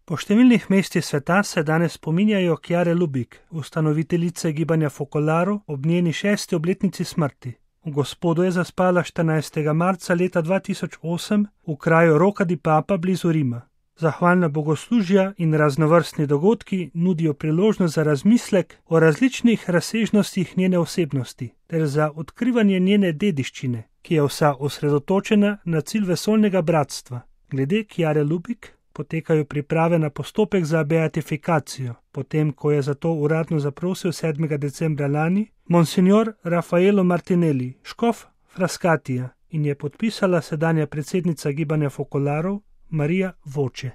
Po številnih mestih sveta se danes spominjajo Chiare Lubich, ustanoviteljice gibanja Focolare, ob njeni 6. obletnici smrti. V Gospodu je zaspala 14. marca leta 2008 v kraju Rocca di Papa blizu Rima. Zahvalna bogoslužja in raznovrstni dogodki nudijo priložnost za razmislek o različnih razsežnostih njene osebnosti ter za odkrivanje njene dediščine, ki je vsa osredotočena na cilj vesoljnega bratstva. Glede Chiare Lubich potekajo priprave na postopek za beatifikacijo, potem ko je za to uradno zaprosil 7. decembra lani Monsignor Raffaello Martinelli, škof Frascatija, in je podpisala sedanja predsednica gibanja Focolare Maria Voce.